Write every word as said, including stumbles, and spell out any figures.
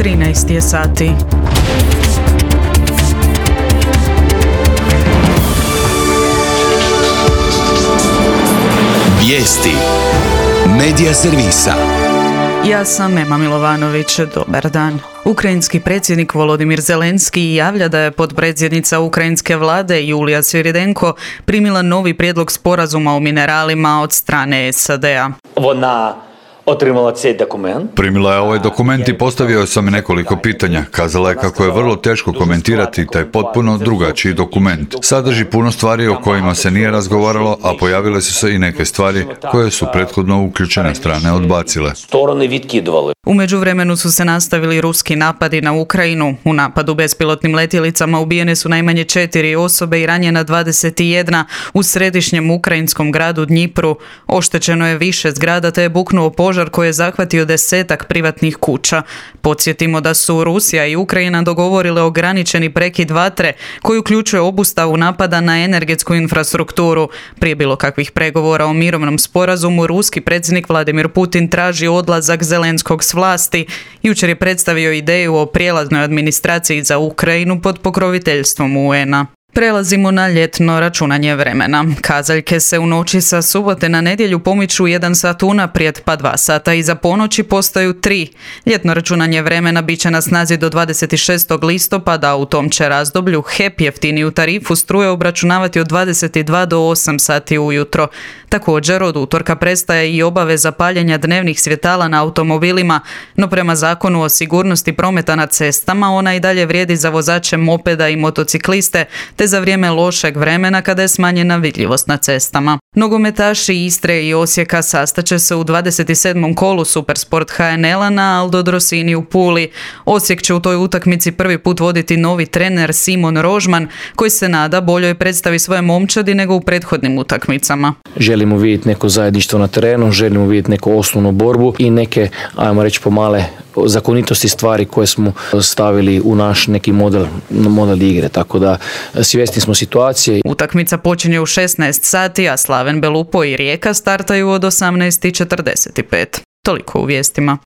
trinaest je sati. Vijesti Medija servisa. Ja sam Ema Milovanović, dobar dan. Ukrajinski predsjednik Volodimir Zelenski javlja da je potpredsjednica ukrajinske vlade Julija Sviridenko primila novi prijedlog sporazuma o mineralima od strane S A D-a. Вона отримала цей документ. Primila je ovaj dokument i postavio sam nekoliko pitanja. Kazala je kako je vrlo teško komentirati taj potpuno drugačiji dokument. Sadrži puno stvari o kojima se nije razgovaralo, a pojavile su se i neke stvari koje su prethodno uključene strane odbacile. Сторони відкидували. U međuvremenu su se nastavili ruski napadi na Ukrajinu. U napadu bespilotnim letjelicama ubijene su najmanje četiri osobe i ranjena dvadeset jedna u središnjem ukrajinskom gradu Dnjipru. Oštećeno je više zgrada te je buknuo požar koji je zahvatio desetak privatnih kuća. Podsjetimo da su Rusija i Ukrajina dogovorile ograničeni prekid vatre koji uključuje obustavu napada na energetsku infrastrukturu. Prije bilo kakvih pregovora o mirovnom sporazumu, ruski predsjednik Vladimir Putin traži odlazak Zelenskog s vlasti. Jučer je predstavio ideju o prijelaznoj administraciji za Ukrajinu pod pokroviteljstvom U N-a. Prelazimo na ljetno računanje vremena. Kazaljke se u noći sa subote na nedjelju pomiču jedan sat unaprijed, pa dva sata iza ponoći postaju tri. Ljetno računanje vremena bit će na snazi do dvadeset šestog listopada, a u tom će razdoblju H E P jeftiniju tarifu struje obračunavati od dvadeset dva do osam sati ujutro. Također, od utorka prestaje i obaveza paljenja dnevnih svjetala na automobilima, no prema zakonu o sigurnosti prometa na cestama ona i dalje vrijedi za vozače mopeda i motocikliste, te za vrijeme lošeg vremena kada je smanjena vidljivost na cestama. Nogometaši Istre i Osijeka sastaće se u dvadeset sedmom kolu Supersport H N L-a na Aldo Drosini u Puli. Osijek će u toj utakmici prvi put voditi novi trener Simon Rožman, koji se nada boljoj predstavi svoje momčadi nego u prethodnim utakmicama. Želimo vidjeti neko zajedništvo na terenu, želimo vidjeti neku osnovnu borbu i neke, ajmo reći, pomale zakonitosti stvari koje smo stavili u naš neki model, model igre, tako da svjesni smo situacije. Utakmica počinje u šesnaest sati, a Slaven Belupo i Rijeka startaju od osamnaest i četrdeset pet. Toliko u vijestima.